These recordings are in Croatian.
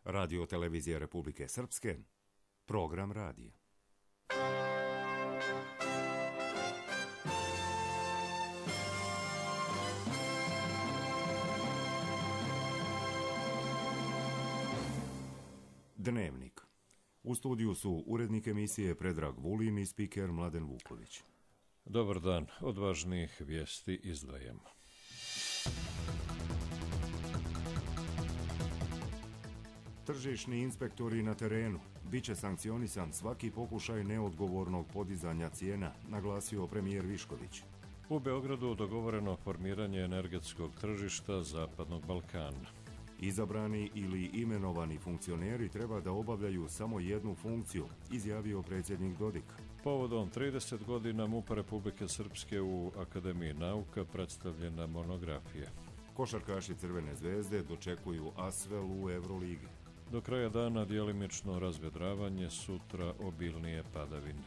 Radio Televizija Republike Srpske, program radija. Dnevnik. U studiju su urednik emisije Predrag Vulin i spiker Mladen Vuković. Dobar dan, od važnijih vijesti izdvajamo. Tržišni inspektori na terenu. Biće sankcionisan svaki pokušaj neodgovornog podizanja cijena, naglasio premijer Višković. U Beogradu dogovoreno formiranje energetskog tržišta Zapadnog Balkana. Izabrani ili imenovani funkcioneri treba da obavljaju samo jednu funkciju, izjavio predsjednik Dodik. Povodom 30 godina MUP-a Republike Srpske u Akademiji nauka predstavljena monografija. Košarkaši Crvene zvezde dočekuju Asvel u Evroligi. Do kraja dana djelimično razvedravanje, sutra obilnije padavine.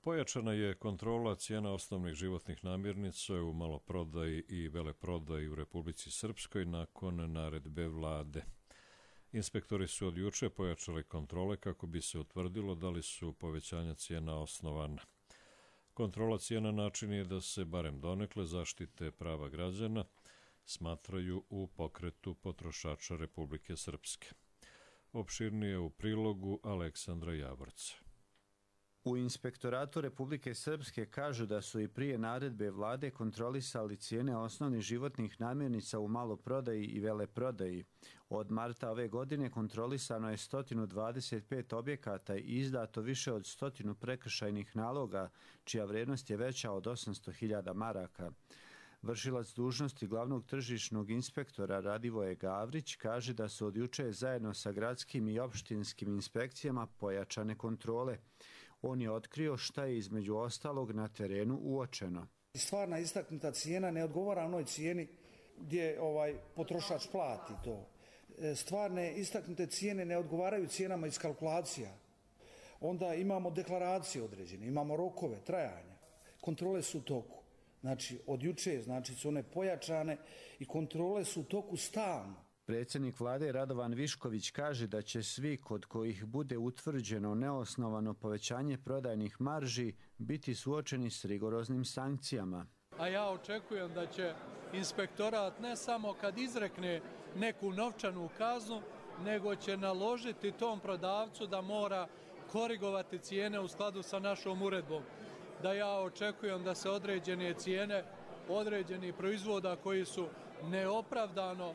Pojačana je kontrola cijena osnovnih životnih namirnica u maloprodaji i veleprodaji u Republici Srpskoj nakon naredbe vlade. Inspektori su od juče pojačali kontrole kako bi se utvrdilo da li su povećanja cijena osnovana. Kontrola cijena način je da se barem donekle zaštite prava građana, smatraju u pokretu potrošača Republike Srpske. Opširnije u prilogu Aleksandra Javorca. U Inspektoratu Republike Srpske kažu da su i prije naredbe vlade kontrolisali cijene osnovnih životnih namirnica u maloprodaji i veleprodaji. Od marta ove godine kontrolisano je 125 objekata i izdato više od 100 prekršajnih naloga, čija vrijednost je veća od 800.000 maraka. Vršilac dužnosti glavnog tržišnog inspektora Radivoje Gavrić kaže da su od juče zajedno sa gradskim i opštinskim inspekcijama pojačane kontrole. On je otkrio šta je između ostalog na terenu uočeno. Stvarna istaknuta cijena ne odgovara onoj cijeni gdje potrošač plati to. Stvarne istaknute cijene ne odgovaraju cijenama iz kalkulacija. Onda imamo deklaracije određene, imamo rokove trajanja. Kontrole su u toku. Znači, od juče, su one pojačane i kontrole su u toku stalno. Predsjednik vlade Radovan Višković kaže da će svi kod kojih bude utvrđeno neosnovano povećanje prodajnih marži biti suočeni s rigoroznim sankcijama. A ja očekujem da će inspektorat ne samo kad izrekne neku novčanu kaznu, nego će naložiti tom prodavcu da mora korigovati cijene u skladu sa našom uredbom. Da ja očekujem da se određene cijene, određeni proizvoda koji su neopravdano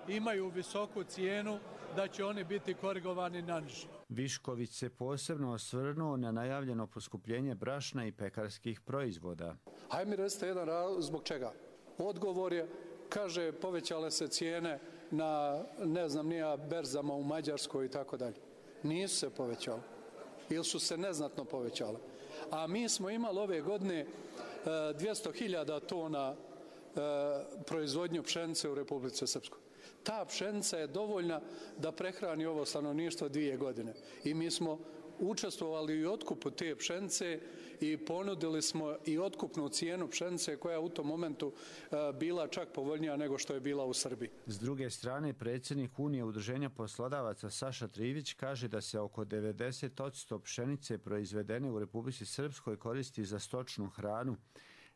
imaju visoku cijenu, da će oni biti korigovani na niže. Višković se posebno osvrnuo na najavljeno poskupljenje brašna i pekarskih proizvoda. Hajde mi recite jedan razlog zbog čega. Odgovor je, kaže, povećale se cijene na, berzama u Mađarskoj i tako dalje. Nisu se povećale. Ili su se neznatno povećale. A mi smo imali ove godine 200.000 tona proizvodnju pšenice u Republici Srpskoj. Ta pšenica je dovoljna da prehrani ovo stanovništvo 2 godine. I mi smo učestvovali u otkupu te pšenice i ponudili smo i otkupnu cijenu pšenice koja je u tom momentu bila čak povoljnija nego što je bila u Srbiji. S druge strane, predsjednik Unije udruženja poslodavaca Saša Trivić kaže da se oko 90% pšenice proizvedene u Republici Srpskoj koristi za stočnu hranu.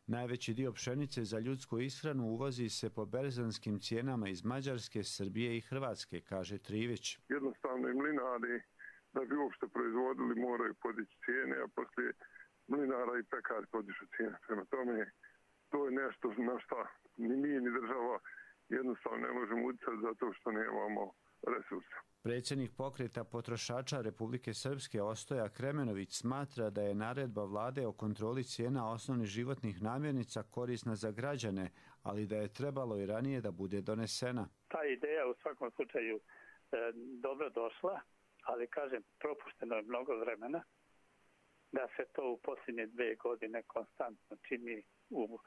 Najveći dio pšenice za ljudsku ishranu uvozi se po berzanskim cijenama iz Mađarske, Srbije i Hrvatske, kaže Trivić. Jednostavno i mlinari da bi uopšte proizvodili moraju podići cijene, a poslije mlinara i pekari podižu cijene. Prema tome, to je nešto na šta ni mi ni država jednostavno ne možemo utjecati zato što nemamo resursa. Predsjednik pokreta potrošača Republike Srpske Ostoja Kremenović smatra da je naredba vlade o kontroli cijena osnovnih životnih namirnica korisna za građane, ali da je trebalo i ranije da bude donesena. Ta ideja u svakom slučaju dobro došla, ali kažem, propušteno je mnogo vremena da se to u posljednje 2 godine konstantno čini u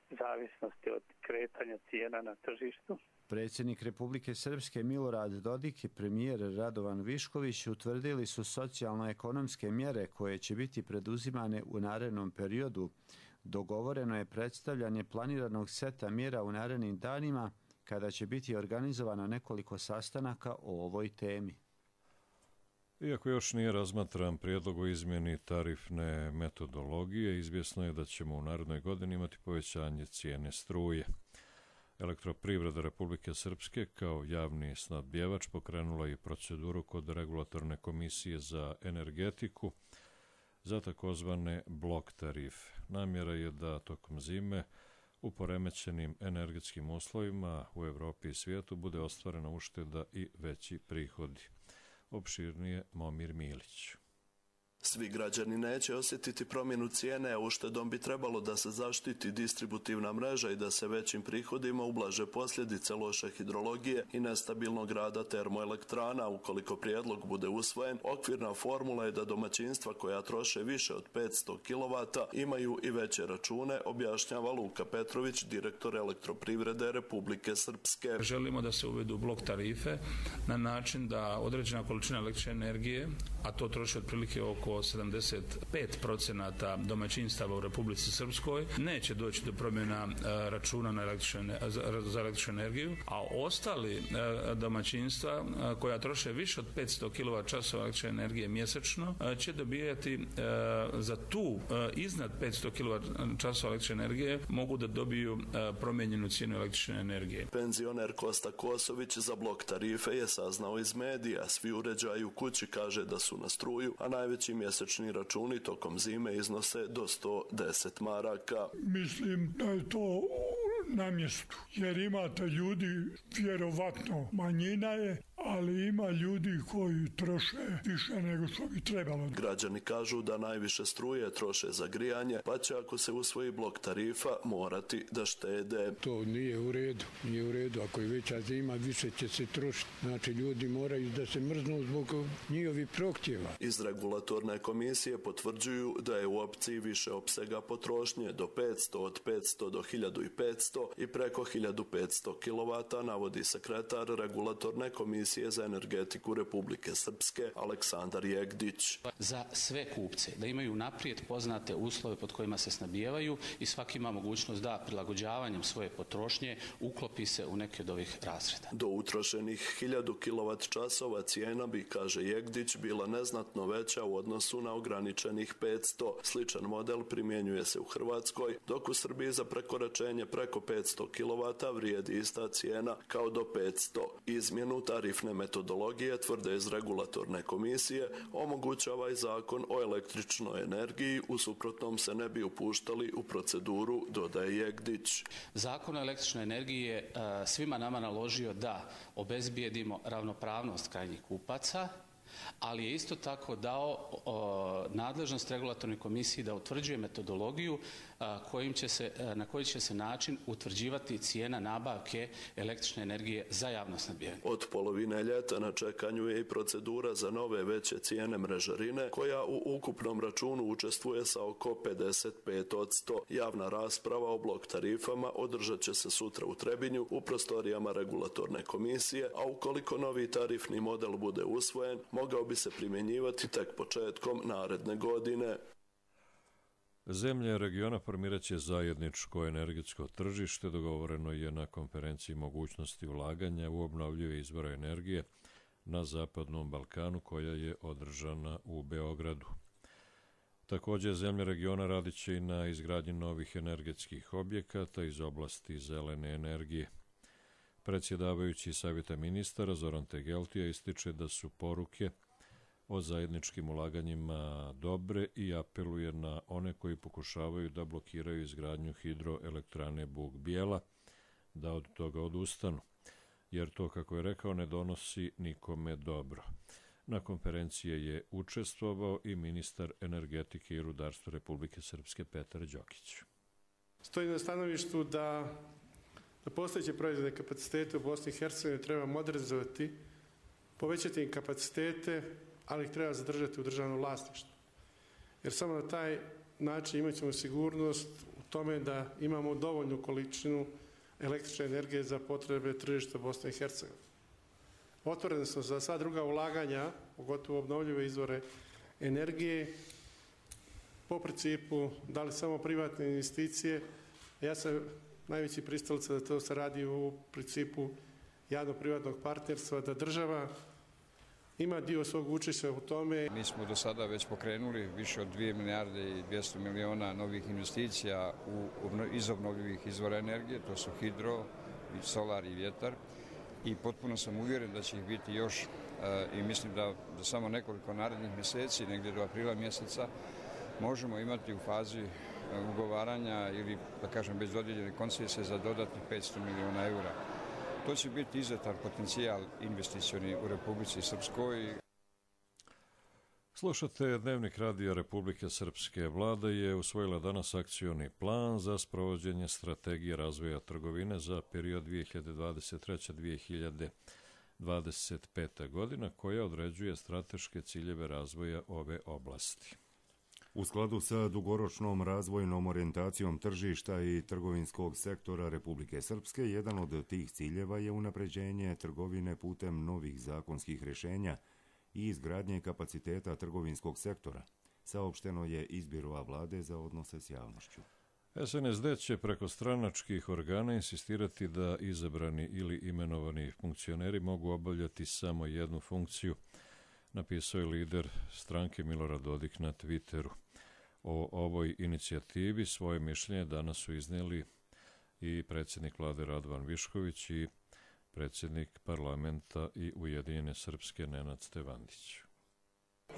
zavisnosti od kretanja cijena na tržištu. Predsjednik Republike Srpske Milorad Dodik i premijer Radovan Višković utvrdili su socijalno-ekonomske mjere koje će biti preduzimane u narednom periodu. Dogovoreno je predstavljanje planiranog seta mjera u narednim danima, kada će biti organizovano nekoliko sastanaka o ovoj temi. Iako još nije razmatran prijedlog o izmjeni tarifne metodologije, izvjesno je da ćemo u narednoj godini imati povećanje cijene struje. Elektroprivreda Republike Srpske kao javni snabdjevač pokrenula i proceduru kod Regulatorne komisije za energetiku za takozvane blok tarife. Namjera je da tokom zime u poremećenim energetskim uslovima u Evropi i svijetu bude ostvarena ušteda i veći prihodi. Opširnije Momir Milić. Svi građani neće osjetiti promjenu cijene, a uštedom bi trebalo da se zaštiti distributivna mreža i da se većim prihodima ublaže posljedice loše hidrologije i nestabilnog rada termoelektrana. Ukoliko prijedlog bude usvojen, okvirna formula je da domaćinstva koja troše više od 500 kW imaju i veće račune, objašnjava Luka Petrović, direktor Elektroprivrede Republike Srpske. Želimo da se uvedu blok tarife na način da određena količina električne energije, a to troši otprilike oko 75% domaćinstava u Republici Srpskoj, neće doći do promjena računa za električnu energiju, a ostali domaćinstva koja troše više od 500 kWh električne energije mjesečno će dobijati za tu iznad 500 kWh električne energije mogu da dobiju promijenjenu cijenu električne energije. Penzioner Kosta Kosović za blok tarife je saznao iz medija. Svi uređaji u kući kaže da su na struju, a najveći mjesečni računi tokom zime iznose do 110 maraka. Mislim da je to na mjestu, jer imate ljudi, vjerovatno manjina je, ali ima ljudi koji troše više nego što bi trebalo. Građani kažu da najviše struje troše za grijanje, pa će ako se usvoji blok tarifa morati da štede. To nije u redu, nije u redu. Ako je veća zima, više će se trošiti. Znači ljudi moraju da se mrznu zbog njihovih prohtjeva. Iz regulatorne komisije potvrđuju da je u opciji više opsega potrošnje do 500, od 500 do 1500 i preko 1500 kW, navodi sekretar regulatorne komisije za energetiku Republike Srpske Aleksandar Jegdić. Za sve kupce da imaju naprijed poznate uslove pod kojima se snabdijevaju i svaki ima mogućnost da prilagođavanjem svoje potrošnje uklopi se u neke od ovih razreda. Do utrošenih 1000 kWh cijena bi, kaže Jegdić, bila neznatno veća u odnosu na ograničenih 500. Sličan model primjenjuje se u Hrvatskoj, dok u Srbiji za prekoračenje preko 500 kW vrijedi ista cijena kao do 500. Izmjenu tarifne metodologije, tvrde iz regulatorne komisije, omogućava i zakon o električnoj energiji, u suprotnom se ne bi upuštali u proceduru, dodaje Jegdić. Zakon o električnoj energiji je svima nama naložio da obezbijedimo ravnopravnost krajnjih kupaca, ali je isto tako dao nadležnost regulatornoj komisiji da utvrđuje metodologiju na koji će se način utvrđivati cijena nabavke električne energije za javno snabdijevanje. Od polovine ljeta na čekanju je i procedura za nove veće cijene mrežarine, koja u ukupnom računu učestvuje sa oko 55%. Javna rasprava o blok tarifama održat će se sutra u Trebinju u prostorijama regulatorne komisije, a ukoliko novi tarifni model bude usvojen, mogao bi se primjenjivati tek početkom naredne godine. Zemlje regiona formirat će zajedničko energetsko tržište, dogovoreno je na konferenciji mogućnosti ulaganja u obnovljive izvore energije na Zapadnom Balkanu, koja je održana u Beogradu. Također, zemlje regiona radit će i na izgradnji novih energetskih objekata iz oblasti zelene energije. Predsjedavajući Savjeta ministara Zoran Tegeltija ističe da su poruke o zajedničkim ulaganjima dobre i apeluje na one koji pokušavaju da blokiraju izgradnju hidroelektrane Bug Bijela da od toga odustanu, jer to, kako je rekao, ne donosi nikome dobro. Na konferenciji je učestvovao i ministar energetike i rudarstva Republike Srpske Petar Đokić. Stoji na stanovištu da postojeće proizvodne kapacitete u Bosni i Hercegovini treba modernizovati, povećati im kapacitete, ali ih treba zadržati u državnom vlasništvu. Jer samo na taj način imat ćemo sigurnost u tome da imamo dovoljnu količinu električne energije za potrebe tržišta Bosne i Hercegovine. Otvoreni smo za sva druga ulaganja, pogotovo obnovljive izvore energije. po principu da li samo privatne investicije. Ja sam najveći pristalica da to se radi u principu javno-privatnog partnerstva, da država ima dio svog učešća u tome. Mi smo do sada već pokrenuli više od 2 milijarde i 200 miliona novih investicija iz obnovljivih izvora energije, to su hidro, solar i vjetar, i potpuno sam uvjeren da će ih biti još i mislim da za samo nekoliko narednih mjeseci, negdje do aprila mjeseca, možemo imati u fazi ugovaranja ili, da kažem, bez dodijeljene koncesije za dodatnih 500 miliona eura. To će biti izuzetan potencijal investicioni u Republici Srpskoj. Slušate Dnevnik radija Republike Srpske. Vlada je usvojila danas akcioni plan za sprovođenje strategije razvoja trgovine za period 2023-2025. godina, koja određuje strateške ciljeve razvoja ove oblasti. U skladu sa dugoročnom razvojnom orijentacijom tržišta i trgovinskog sektora Republike Srpske, jedan od tih ciljeva je unapređenje trgovine putem novih zakonskih rješenja i izgradnje kapaciteta trgovinskog sektora, saopšteno je iz Biroa vlade za odnose s javnošću. SNSD će preko stranačkih organa insistirati da izabrani ili imenovani funkcioneri mogu obavljati samo jednu funkciju, napisao je lider stranke Milorad Dodik na Twitteru. O ovoj inicijativi svoje mišljenje danas su iznijeli i predsjednik vlade Radovan Višković i predsjednik parlamenta i Ujedinjene Srpske Nenad Stevandić.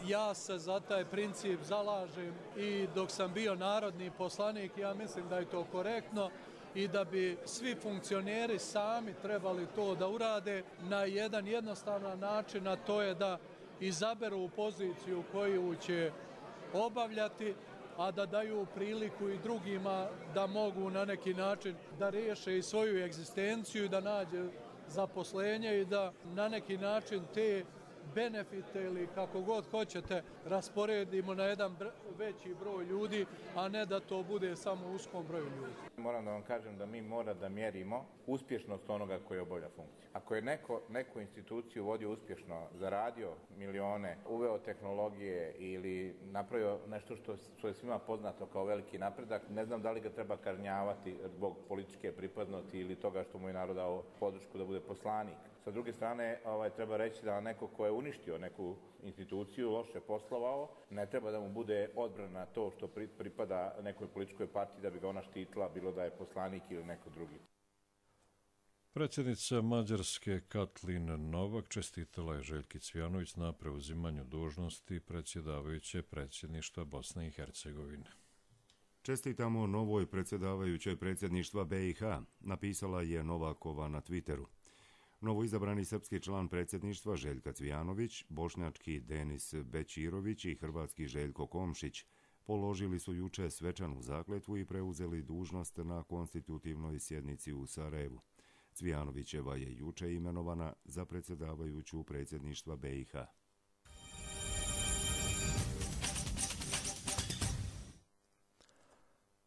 Ja se za taj princip zalažem i dok sam bio narodni poslanik, ja mislim da je to korektno i da bi svi funkcioneri sami trebali to da urade na jedan jednostavan način, a to je da izaberu poziciju koju će obavljati, a da daju priliku i drugima da mogu na neki način da riješe i svoju egzistenciju i da nađe zaposlenje i da na neki način te benefite ili kako god hoćete rasporedimo na jedan veći broj ljudi, a ne da to bude samo uskom broju ljudi. Moram da vam kažem da mi mora da mjerimo uspješnost onoga koji obavlja funkciju. Ako je neku instituciju vodio uspješno, zaradio milione, uveo tehnologije ili napravio nešto što je svima poznato kao veliki napredak, ne znam da li ga treba kažnjavati zbog političke pripadnosti ili toga što mu je narod dao podršku da bude poslanik. Sa druge strane, treba reći da neko ko je uništio neku instituciju, loše poslovao, ne treba da mu bude odbrana to što pripada nekoj političkoj partiji da bi ga ona štitila, bilo da je poslanik ili neko drugi. Predsjednica Mađarske Katlin Novak čestitala je Željki Cvijanović na preuzimanju dužnosti predsjedavajuće predsjedništva Bosne i Hercegovine. Čestitamo novoj predsjedavajućoj predsjedništva BiH, napisala je Novakova na Twitteru. Novoizabrani srpski član predsjedništva Željka Cvijanović, bošnjački Denis Bećirović i hrvatski Željko Komšić položili su juče svečanu zakletvu i preuzeli dužnost na konstitutivnoj sjednici u Sarajevu. Cvijanovićeva je juče imenovana za predsjedavajuću predsjedništva BiH.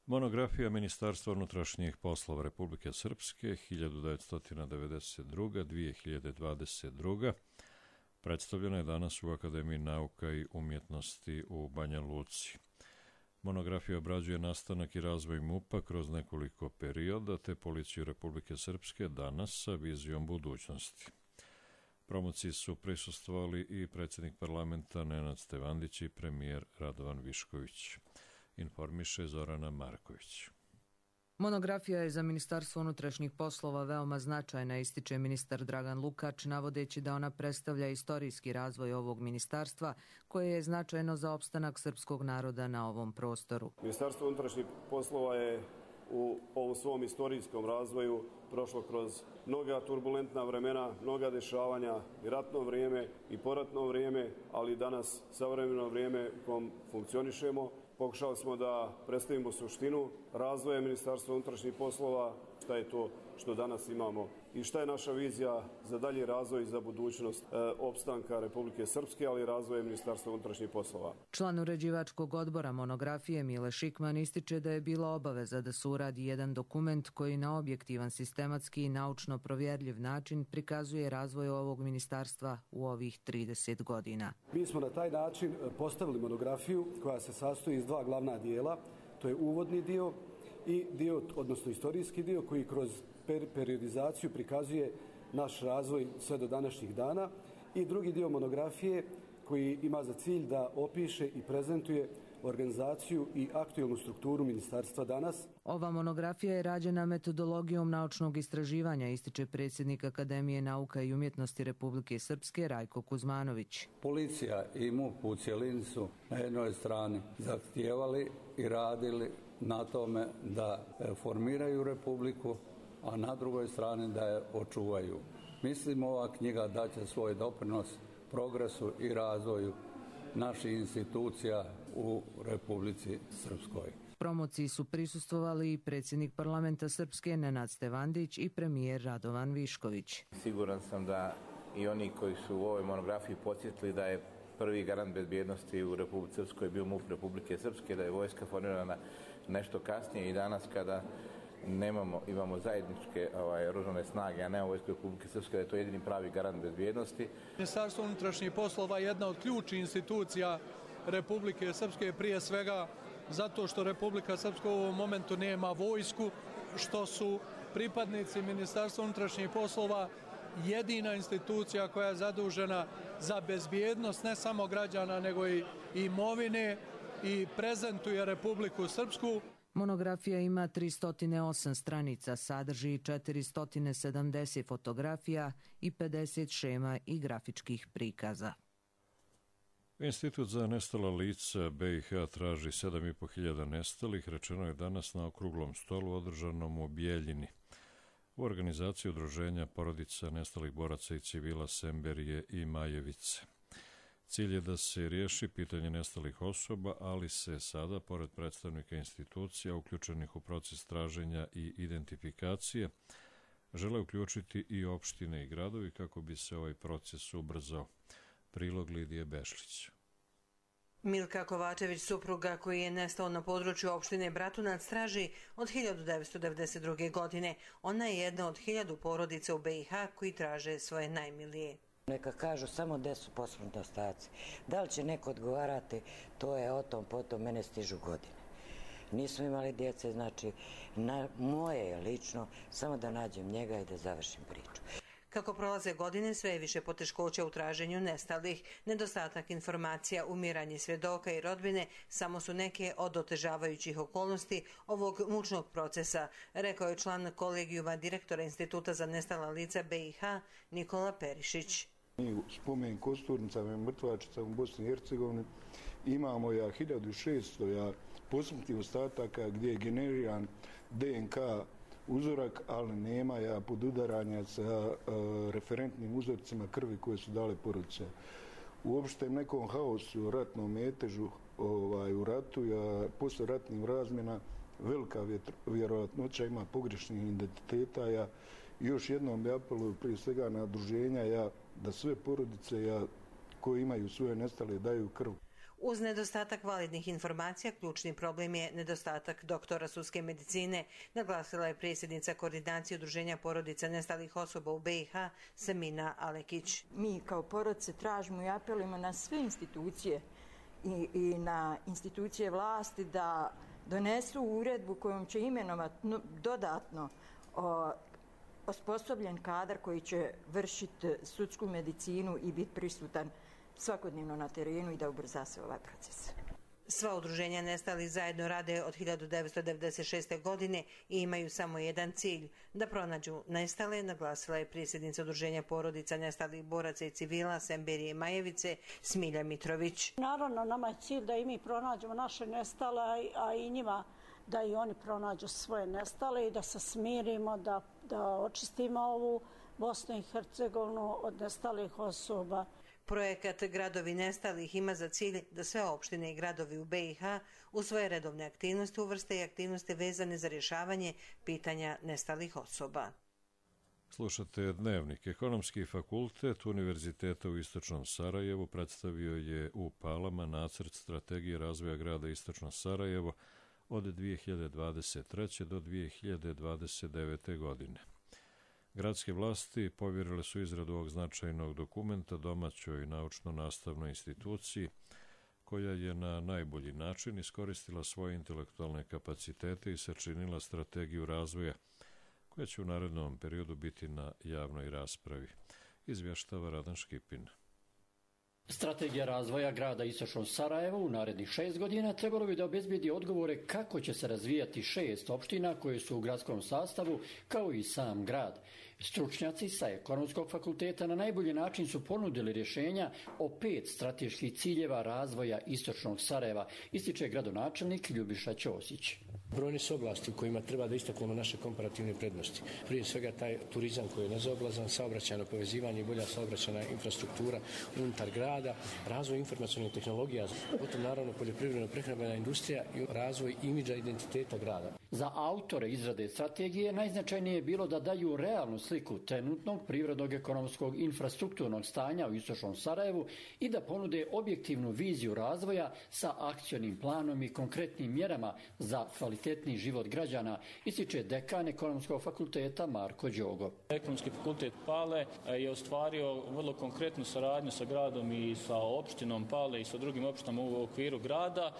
Monografija Ministarstva unutrašnjih poslova Republike Srpske 1992-2022 predstavljena je danas u Akademiji nauka i umjetnosti u Banja Luci. Monografija obrađuje nastanak i razvoj MUP-a kroz nekoliko perioda te policiju Republike Srpske danas sa vizijom budućnosti. Promociji su prisustvovali i predsjednik parlamenta Nenad Stevandić i premijer Radovan Višković. Informiše Zorana Marković. Monografija je za Ministarstvo unutrašnjih poslova veoma značajna, ističe ministar Dragan Lukač, navodeći da ona predstavlja istorijski razvoj ovog ministarstva, koje je značajno za opstanak srpskog naroda na ovom prostoru. Ministarstvo unutrašnjih poslova je u ovom svom istorijskom razvoju prošlo kroz mnoga turbulentna vremena, mnoga dešavanja, i ratno vrijeme i poratno vrijeme, ali danas savremeno vrijeme u kom funkcionišemo. Pokušali smo da predstavimo suštinu razvoja Ministarstva unutrašnjih poslova, šta je to što danas imamo i šta je naša vizija za dalji razvoj i za budućnost opstanka Republike Srpske, ali i razvoja Ministarstva unutrašnjih poslova. Član uređivačkog odbora monografije Mile Šikman ističe da je bila obaveza da se uradi jedan dokument koji na objektivan, sistematski i naučno provjerljiv način prikazuje razvoj ovog ministarstva u ovih 30 godina. Mi smo na taj način postavili monografiju koja se sastoji iz dva glavna dijela. To je uvodni dio i dio, odnosno istorijski dio koji kroz periodizaciju prikazuje naš razvoj sve do današnjih dana i drugi dio monografije koji ima za cilj da opiše i prezentuje organizaciju i aktuelnu strukturu ministarstva danas. Ova monografija je rađena metodologijom naučnog istraživanja, ističe predsjednik Akademije nauka i umjetnosti Republike Srpske Rajko Kuzmanović. Policija i MUP u cjelini su na jednoj strani zahtijevali i radili na tome da formiraju republiku, a na drugoj strani da je očuvaju. Mislim, ova knjiga daće svoj doprinos progresu i razvoju naših institucija u Republici Srpskoj. Promociji su prisustvovali i predsjednik parlamenta Srpske Nenad Stevandić i premijer Radovan Višković. Siguran sam da i oni koji su u ovoj monografiji podsjetili da je prvi garant bezbjednosti u Republici Srpskoj bio MUP Republike Srpske, da je vojska formirana nešto kasnije i danas kada imamo zajedničke oružane snage, a ne vojsku Republike Srpske, da je to jedini pravi garant bezbjednosti. Ministarstvo unutrašnjih poslova je jedna od ključnih institucija Republike Srpske, prije svega zato što Republika Srpska u ovom momentu nema vojsku, što su pripadnici Ministarstva unutrašnjih poslova jedina institucija koja je zadužena za bezbjednost ne samo građana nego i imovine i prezentuje Republiku Srpsku. Monografija ima 308 stranica, sadrži 470 fotografija i 50 šema i grafičkih prikaza. Institut za nestala lica BiH traži 7.500 nestalih, rečeno je danas na okruglom stolu održanom u Bijeljini. U organizaciji udruženja porodica nestalih boraca i civila Semberije i Majevice. Cilj je da se riješi pitanje nestalih osoba, ali se sada, pored predstavnika institucija uključenih u proces traženja i identifikacije, žele uključiti i opštine i gradovi kako bi se ovaj proces ubrzao. Prilog Lidije Bešlić. Milka Kovačević, supruga koji je nestao na području opštine Bratunac, traži od 1992. godine. Ona je jedna od 1000 porodica u BiH koji traže svoje najmilije. Neka kažu samo gde su posmrtni ostaci. Da li će neko odgovarati, to je o tom, potom mene stižu godine. Nismo imali djece, znači moje je lično samo da nađem njega i da završim priču. Kako prolaze godine, sve je više poteškoća u traženju nestalih. Nedostatak informacija, umiranje svjedoka i rodbine samo su neke od otežavajućih okolnosti ovog mučnog procesa, rekao je član kolegijuma direktora Instituta za nestala lica BiH Nikola Perišić. Mi u spomen kosturnicama i mrtvačicama u Bosni i Hercegovini imamo 1600 posmrtnih ostataka gdje je generiran DNK uzorak, ali nema podudaranja sa referentnim uzorcima krvi koje su dale porodice. U opštem nekom haosu, ratnom metežu u ratu, posle ratnih razmjena, velika vjerojatnoća ima pogrešnih identiteta. Još jednom bi apeluju prije svega na udruženja da sve porodice koje imaju svoje nestale daju krv. Uz nedostatak validnih informacija, ključni problem je nedostatak doktora sudske medicine, naglasila je predsjednica koordinacije udruženja porodica nestalih osoba u BiH Semina Alekić. Mi kao porodice tražimo i apelujemo na sve institucije i na institucije vlasti da donesu uredbu kojom će imenovati dodatno osposobljen kadar koji će vršiti sudsku medicinu i biti prisutan svakodnevno na terenu i da ubrza se ovaj proces. Sva udruženja nestalih zajedno rade od 1996. godine i imaju samo jedan cilj, da pronađu nestale, naglasila je predsjednica udruženja porodica nestalih boraca i civila Semberije i Majevice Smilja Mitrović. Naravno, nama je cilj da i mi pronađemo naše nestale, a i njima da i oni pronađu svoje nestale i da se smirimo, da očistimo ovu Bosnu i Hercegovinu od nestalih osoba. Projekat Gradovi nestalih ima za cilj da sve opštine i gradovi u BiH u svoje redovne aktivnosti uvrste i aktivnosti vezane za rješavanje pitanja nestalih osoba. Slušate Dnevnik. Ekonomski fakultet Univerziteta u Istočnom Sarajevu predstavio je u Palama nacrt strategije razvoja grada Istočno Sarajevo od 2023. do 2029. godine. Gradske vlasti povjerile su izradu ovog značajnog dokumenta domaćoj naučno-nastavnoj instituciji koja je na najbolji način iskoristila svoje intelektualne kapacitete i sačinila strategiju razvoja koja će u narednom periodu biti na javnoj raspravi, izvještava Radan Škipin. Strategija razvoja grada Istočno Sarajevo u narednih 6 godina trebalo bi da obezbijedi odgovore kako će se razvijati 6 opština koje su u gradskom sastavu, kao i sam grad. Stručnjaci sa Ekonomskog fakulteta na najbolji način su ponudili rješenja o 5 strateških ciljeva razvoja Istočnog Sarajeva, ističe gradonačelnik Ljubiša Ćosić. Brojne su oblasti u kojima treba da istaknemo naše komparativne prednosti. Prije svega taj turizam koji je nezaoblazan, saobraćajno povezivanje i bolja saobraćajna infrastruktura unutar grada, razvoj informacionalnih tehnologija, potom naravno poljoprivredno-prehrambena industrija i razvoj imidža identiteta grada. Za autore izrade strategije najznačajnije je bilo da daju realnu sliku trenutnog privrednog, ekonomskog, infrastrukturnog stanja u Istočnom Sarajevu i da ponude objektivnu viziju razvoja sa akcionim planom i konkretnim mjerama za kvalitetni život građana, ističe dekan Ekonomskog fakulteta Marko Đogo. Ekonomski fakultet Pale je ostvario vrlo konkretnu saradnju sa gradom i sa opštinom Pale i sa drugim opštinama u okviru grada,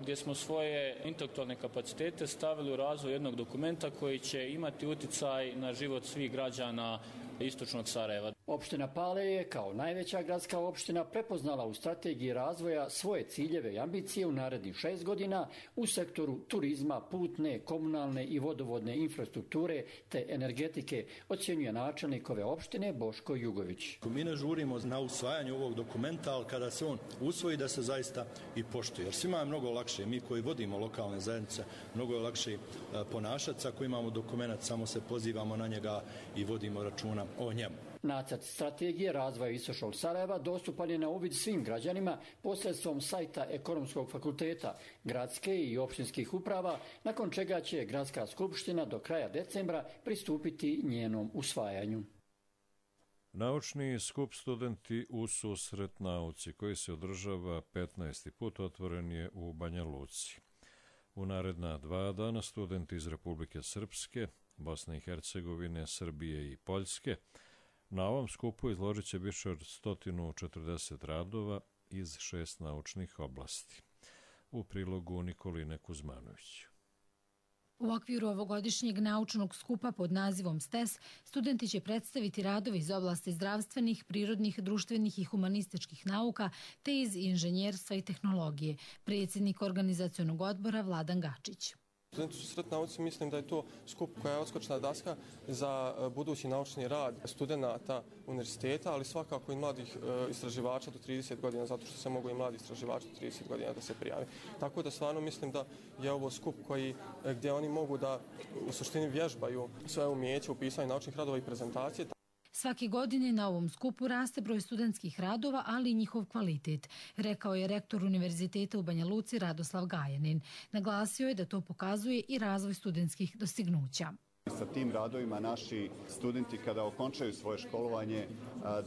gdje smo svoje intelektualne kapacitete stavili u razvoj jednog dokumenta koji će imati utjecaj na život svih građana Istočnog Sarajeva. Opština Pale je kao najveća gradska opština prepoznala u strategiji razvoja svoje ciljeve i ambicije u narednih 6 godina u sektoru turizma, putne, komunalne i vodovodne infrastrukture te energetike, ocjenjuje načelnik ove opštine Boško Jugović. Mi ne žurimo na usvajanje ovog dokumenta, ali kada se on usvoji da se zaista i poštuje. Jer svima je mnogo lakše, mi koji vodimo lokalne zajednice, mnogo je lakše ponašati ako imamo dokument, samo se pozivamo na njega i vodimo računa o njemu. Nacrt strategije razvoja Istočnog Sarajeva dostupan je na uvid svim građanima posredstvom sajta Ekonomskog fakulteta, gradske i opštinskih uprava, nakon čega će Gradska skupština do kraja decembra pristupiti njenom usvajanju. Naučni skup Studenti u susret nauci koji se održava 15. put otvoren je u Banja Luci. U naredna 2 dana studenti iz Republike Srpske, Bosne i Hercegovine, Srbije i Poljske na ovom skupu izložit će više od 140 radova iz 6 naučnih oblasti. U prilogu Nikoline Kuzmanović. U okviru ovogodišnjeg naučnog skupa pod nazivom STES, studenti će predstaviti radove iz oblasti zdravstvenih, prirodnih, društvenih i humanističkih nauka te iz inženjerstva i tehnologije, predsjednik organizacionog odbora Vladan Gačić. Studenti u susret nauci, mislim da je to skup koja je odskočna daska za budući naučni rad studenta univerziteta, ali svakako i mladih istraživača do 30 godina, zato što se mogu i mladi istraživači do 30 godina da se prijavi. Tako da stvarno mislim da je ovo skup gdje oni mogu da u suštini vježbaju svoje umijeće u pisanju naučnih radova i prezentacije. Svake godine na ovom skupu raste broj studentskih radova, ali i njihov kvalitet, rekao je rektor Univerziteta u Banja Luci Radoslav Gajanin. Naglasio je da to pokazuje i razvoj studentskih dostignuća. Sa tim radovima naši studenti kada okončaju svoje školovanje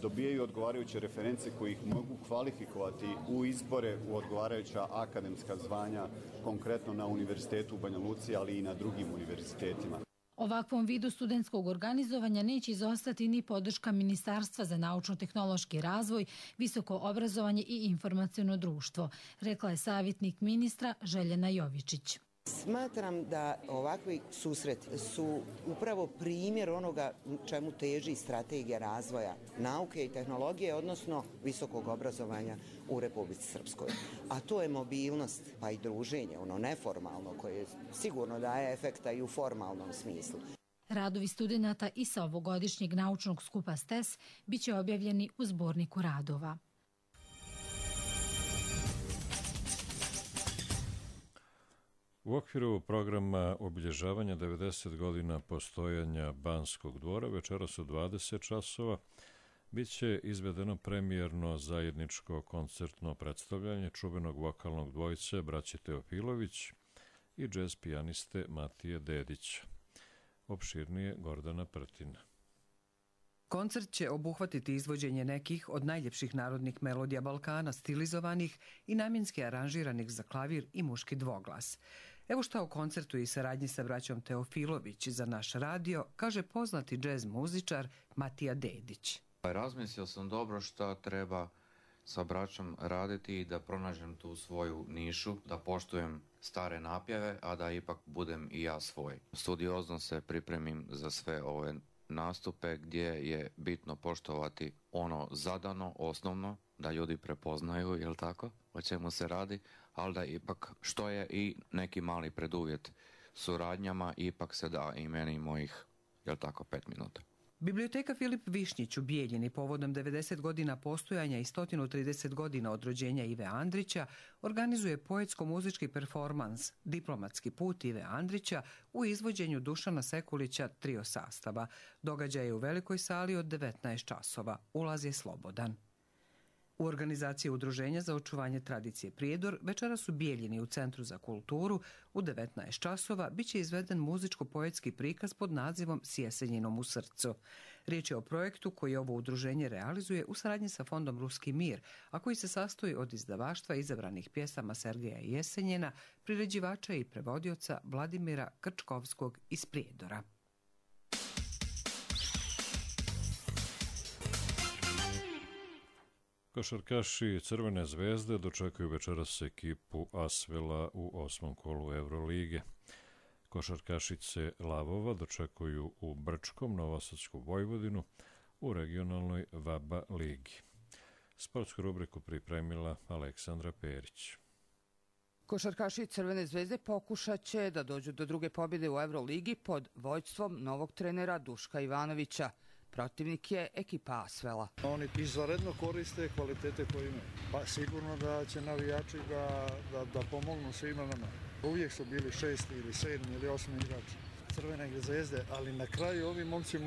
dobijaju odgovarajuće reference koji ih mogu kvalifikovati u izbore u odgovarajuća akademska zvanja, konkretno na Univerzitetu u Banja Luci, ali i na drugim univerzitetima. Ovakvom vidu studentskog organizovanja neće izostati ni podrška Ministarstva za naučno-tehnološki razvoj, visoko obrazovanje i informaciono društvo, rekla je savjetnik ministra Željena Jovičić. Smatram da ovakvi susreti su upravo primjer onoga čemu teži strategija razvoja nauke i tehnologije, odnosno visokog obrazovanja u Republici Srpskoj. A to je mobilnost, pa i druženje, ono neformalno, koje sigurno daje efekta i u formalnom smislu. Radovi studenata i sa ovogodišnjeg naučnog skupa STES biće objavljeni u zborniku radova. U okviru programa obilježavanja 90 godina postojanja Banskog dvora večeras u 20 časova Biće izvedeno premijerno zajedničko koncertno predstavljanje čuvenog vokalnog dvojice braće Teofilović i džez pijaniste Matije Dedića. Opširnije Gordana Prtina. Koncert će obuhvatiti izvođenje nekih od najljepših narodnih melodija Balkana, stilizovanih i namjenski aranžiranih za klavir i muški dvoglas. Evo šta o koncertu i saradnji sa braćom Teofilović za naš radio kaže poznati džez muzičar Matija Dedić. Razmislio sam dobro šta treba sa braćom raditi i da pronađem tu svoju nišu, da poštujem stare napjeve, a da ipak budem i ja svoj. Studiozno se pripremim za sve ove nastupe gdje je bitno poštovati ono zadano, osnovno, da ljudi prepoznaju, jel tako, o čemu se radi, ali da ipak, što je i neki mali preduvjet suradnjama, ipak se da i meni mojih, jel tako, 5 minuta. Biblioteka Filip Višnjić u Bijeljini povodom 90 godina postojanja i 130 godina od rođenja Ive Andrića organizuje poetsko-muzički performans Diplomatski put Ive Andrića u izvođenju Dušana Sekulića trio sastava. Događaj je u velikoj sali od 19 časova. Ulaz je slobodan. U organizaciji Udruženja za očuvanje tradicije Prijedor večeras u Bijeljini u Centru za kulturu u 19 časova biće izveden muzičko-poetski prikaz pod nazivom S Jesenjinom u srcu. Riječ je o projektu koji ovo udruženje realizuje u saradnji sa Fondom Ruski mir, a koji se sastoji od izdavaštva izabranih pjesama Sergeja Jesenjina, priređivača i prevodioca Vladimira Krčkovskog iz Prijedora. Košarkaši Crvene zvezde dočekuju večeras ekipu Asvela u 8. kolu Eurolige. Košarkašice Lavova dočekuju u Brčkom Novosadsku Vojvodinu u regionalnoj VABA ligi. Sportsku rubriku pripremila Aleksandra Perić. Košarkaši Crvene zvezde pokušat će da dođu do druge pobjede u Euroligi pod vođstvom novog trenera Duška Ivanovića. Protivnik je ekipa Asvela. Oni izvanredno koriste kvalitete koje imaju. Pa sigurno da će navijači da pomognu svima nama. Uvijek su bili 6. ili 7. ili 8. igrači Crvene zvezde, ali na kraju ovi momci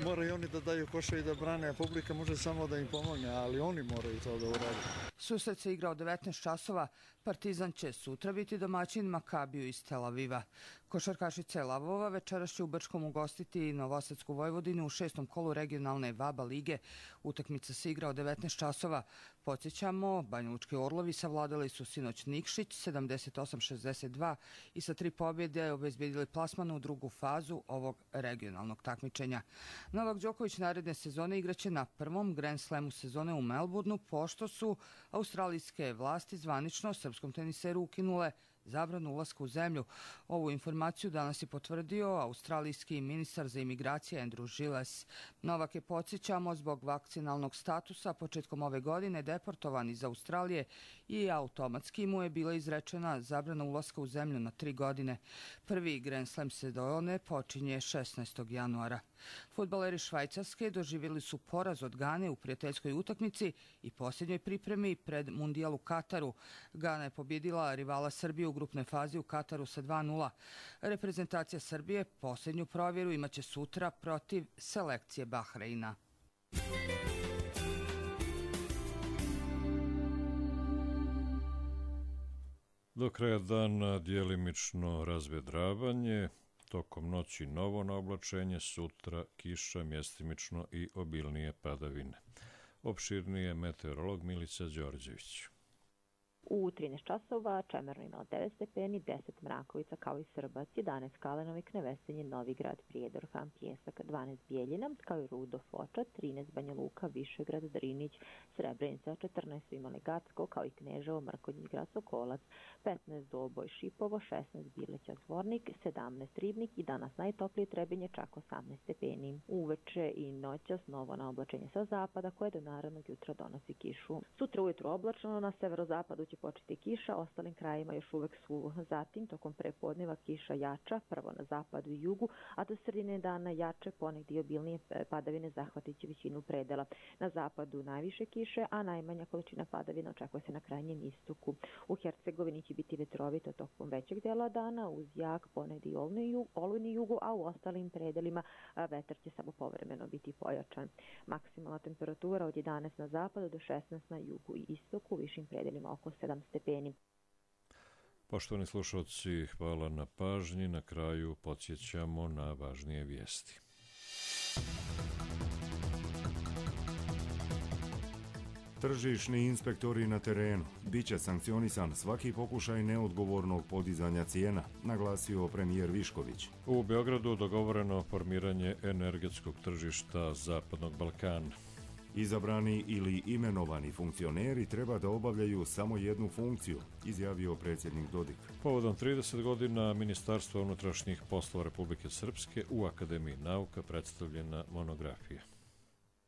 moraju oni da daju koša i da brane, a publika može samo da im pomogne, ali oni moraju to da urade. Susret se igra od 19 časova. Partizan će sutra biti domaćin Makabiju iz Tel Aviva. Košarkašice Lavova večeras će u Brčkom ugostiti Novosadsku Vojvodinu u 6. kolu regionalne VABA lige. Utakmica se igra od 19 časova. Podsjećamo, Banjalučki Orlovi savladali su sinoć Nikšić 78-62 i sa 3 pobjede obezbedili plasman u drugu fazu ovog regionalnog takmičenja. Novak Đoković naredne sezone igraće na prvom Grand Slamu sezone u Melbourneu, pošto su australijske vlasti zvanično srpskom teniseru ukinule zabranu ulaska u zemlju. Ovu informaciju danas je potvrdio australijski ministar za imigracije Andrew Gilles. Novak je, podsjećamo, zbog vakcinalnog statusa početkom ove godine deportovan iz Australije i automatski mu je bila izrečena zabrana ulaska u zemlju na 3 godine. Prvi Grand Slam sezone počinje 16. januara. Fudbaleri Švajcarske doživjeli su poraz od Gane u prijateljskoj utakmici i posljednjoj pripremi pred Mundijal u Kataru. Gana je pobjedila rivala Srbije u grupnoj fazi u Kataru sa 2:0. Reprezentacija Srbije posljednju provjeru imaće sutra protiv selekcije Bahreina. Do kraja dana djelimično razvedravanje, tokom noći novo naoblačenje, sutra kiša, mjestimično i obilnije padavine. Opširnije meteorolog Milica Đorđević. U 13 časova Čemerno imalo 9 stepeni, 10 Mrakovica kao i Srbac, 11 Kalenovik, Nevesenje, Novigrad, Prijedor, Han Pjesak, 12 Bijeljina, kao i Rudo, Foča, 13 Banja Luka, Višegrad, Drinić, Srebrenica, 14 su imali Gacko, kao i Kneževo, Mrkonjić Grad, Sokolac, 15 Doboj, Šipovo, 16 Bileća, Zvornik, 17 Ribnik i danas najtoplije Trebinje, čak 18 stepeni. Uveče i noćas novo naoblačenje sa zapada koje do narednog jutra donosi kišu. Sutra ujutro oblačno, na severozapadu će početi kiša, ostalim krajima još uvek suvo. Zatim, tokom prepodneva kiša jača, prvo na zapadu i jugu, a do sredine dana jače, ponegdje obilnije padavine zahvatiće većinu predela. Na zapadu najviše kiše, a najmanja količina padavina očekuje se na krajnjem istoku. U Hercegovini će biti vetrovito tokom većeg dela dana, uz jak ponegdje olujni jugu, a u ostalim predelima vetar će samo povremeno biti pojačan. Maksimalna temperatura od 11 na zapadu do 16 na jugu i istoku, u višim predelima oko 7 stepeni. Poštovani slušalci, hvala na pažnji. Na kraju podsjećamo na važnije vijesti. Tržišni inspektori na terenu. Biće sankcionisan svaki pokušaj neodgovornog podizanja cijena, naglasio premijer Višković. U Beogradu dogovoreno formiranje energetskog tržišta Zapadnog Balkana. Izabrani ili imenovani funkcioneri treba da obavljaju samo jednu funkciju, izjavio predsjednik Dodik. Povodom 30 godina Ministarstva unutrašnjih poslova Republike Srpske u Akademiji nauka predstavljena monografija.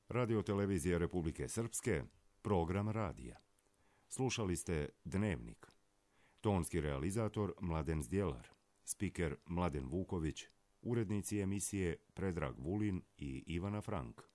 Radio-televizija Republike Srpske, program radija. Slušali ste Dnevnik. Tonski realizator Mladen Zdjelar, spiker Mladen Vuković, urednici emisije Predrag Vulin i Ivana Frank.